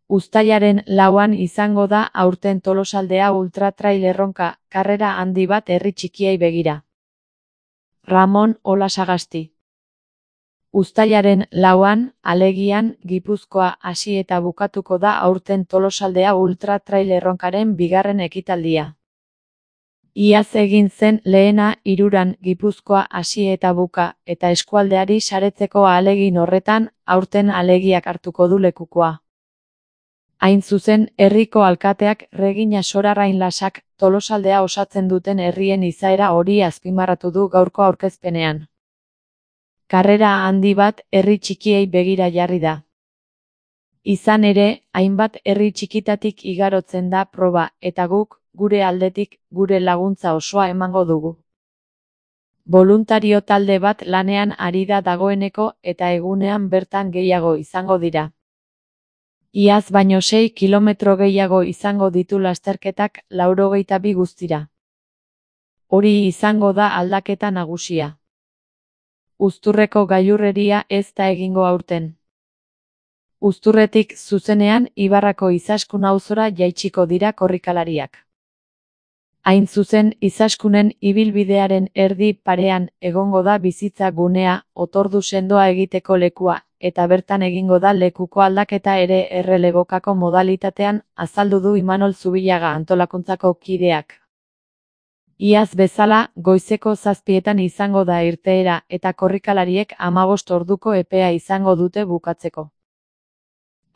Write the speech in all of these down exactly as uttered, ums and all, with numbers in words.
Uztailaren lauan izango da aurten Tolosaldea Ultra Trail erronka, karrera handi bat herri txikiei begira. Ramon Olasagasti. Uztailaren lauan, alegian, Gipuzkoa hasi eta bukatuko da aurten Tolosaldea Ultra Trail erronkaren bigarren ekitaldia. Iaz egin zen lehena hiruran Gipuzkoa hasi eta buka, eta eskualdeari saretzeko ahalegin horretan, aurten alegiak hartuko du lekukoa. Hain zuzen, herriko alkateak Regina Sorarrain Lasak Tolosaldea osatzen duten herrien izaera hori azpimarratu du gaurko aurkezpenean. Karrera handi bat herri txikiei begira jarri da. Izan ere, hainbat herri txikitatik igarotzen da proba eta guk, gure aldetik, gure laguntza osoa emango dugu. Boluntario talde bat lanean ari da dagoeneko eta egunean bertan gehiago izango dira. Iaz baino sei kilometro gehiago izango ditu lasterketak laurogeita bi guztira. Hori izango da aldaketa nagusia. Uzturreko gailurreria ez da egingo aurten. Uzturretik zuzenean Ibarrako Izaskun auzora jaitsiko dira korrikalariak. Hain zuzen, Izaskunen ibilbidearen erdi parean egongo da bizitza gunea, otordu sendoa egiteko lekua, eta bertan egingo da lekuko aldaketa ere errelebokako modalitatean, azaldu du Imanol Zubillaga antolakuntzako kideak. Iaz bezala, goizeko zazpietan izango da irteera eta korrikalariek hamabost orduko epea izango dute bukatzeko.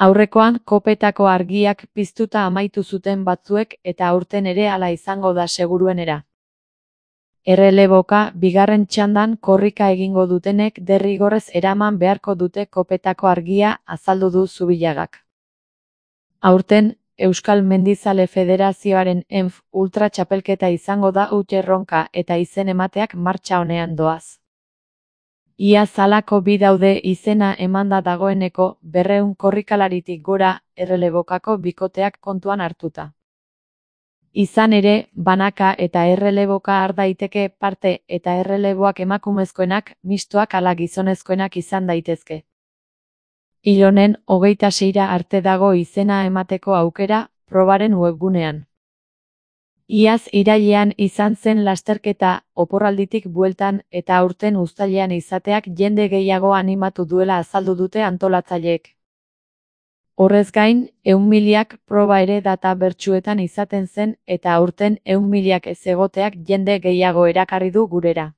Aurrekoan kopetako argiak piztuta amaitu zuten batzuek eta aurten ere hala izango da seguruenera. Erreleboka, bigarren txandan korrika egingo dutenek derrigorrez eraman beharko dute kopetako argia, azaldu du Zubillagak. Aurten, Euskal Mendizale Federazioaren E N F Ultra txapelketa izango da huts erronka eta izen emateak martxa honean doaz. Iaz halako bi daude izena emanda dagoeneko berrehun korrikalaritik gora errelebokako bikoteak kontuan hartuta. Izan ere, banaka eta erreleboka har daiteke parte eta erreleboak emakumezkoenak, mistoak ala gizonezkoenak izan daitezke. Hil honen hogeita seira arte dago izena emateko aukera, probaren webgunean. Iaz irailean izan zen lasterketa, oporralditik bueltan eta aurten uztailean izateak jende gehiago animatu duela azaldu dute antolatzaileek. Horrez gain, ehun milak proba ere data bertsuetan izaten zen eta aurten ehun milak ez egoteak jende gehiago erakarri du gurera.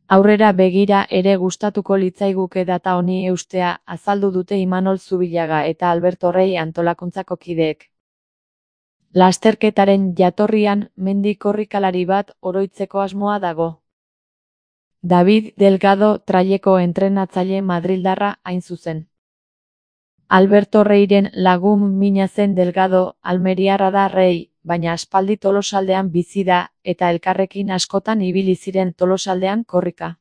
Aurrera begira ere gustatuko litzaiguke data honi eustea, azaldu dute Imanol Zubillaga eta Alberto Rey antolakuntzako kideek. Lasterketaren jatorrian mendi korrikalari bat oroitzeko asmoa dago. David Delgado traileko entrenatzaile madrildarra hain zuzen. Alberto Reyren lagun mina zen Delgado, almeriarra da Rey, baina aspaldi Tolosaldean bizi da eta elkarrekin askotan ibili ziren Tolosaldean korrika.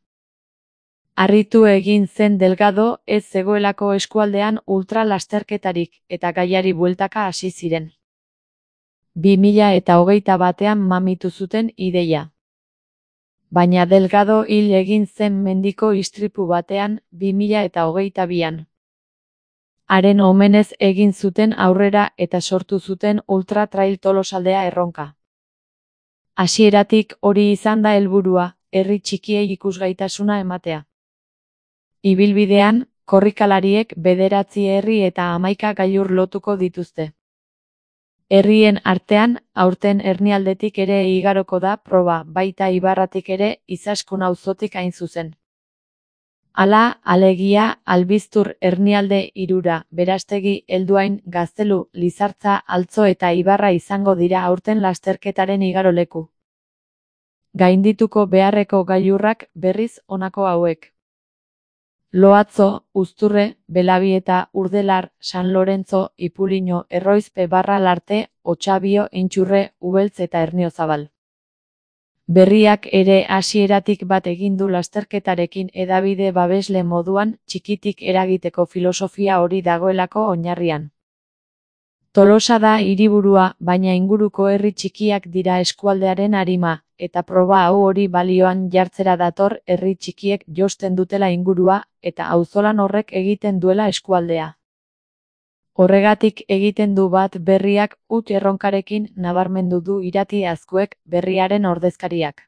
Harritu egin zen Delgado ez zegoelako eskualdean ultra lasterketarik eta gaiari bueltaka hasi ziren. bi mila eta hogeita batean mamitu zuten ideia. Baina Delgado hil egin zen mendiko istripu batean bi mila eta hogeita bian. Haren omenez egin zuten aurrera eta sortu zuten Ultra Trail Tolosaldea erronka. Hasieratik hori izan da helburua, herri txikiei ikusgaitasuna ematea. Ibilbidean, korrikalariek bederatzi herri eta hamaika gailur lotuko dituzte. Herrien artean, aurten Hernialdetik ere igaroko da proba, baita Ibarratik ere Izaskun auzotik hain zuzen. Hala, alegia, Albiztur Hernialde hirura, Berastegi, Helduain, Gaztelu, Lizartza, Altzo eta Ibarra izango dira aurten lasterketaren igaroleku. Gaindituko beharreko gailurrak berriz honako hauek. Loatzo, Uzturre, Belabieta, Urdelar, San Lorenzo, Ipuliño, Erroizpe barra Larte, Otxabio, Intxurre, Ubeltz eta Erniozabal. Berriak ere hasieratik bat egin du lasterketarekin hedabide babesle moduan, txikitik eragiteko filosofia hori dagoelako oinarrian. Tolosa da hiriburua, baina inguruko herri txikiak dira eskualdearen arima, eta proba hau hori balioan jartzera dator herri txikiek josten dutela ingurua, eta auzolan horrek egiten duela eskualdea. Horregatik egiten du bat berriak huts erronkarekin, nabarmendu du Irati Azkuek, berriaren ordezkariak.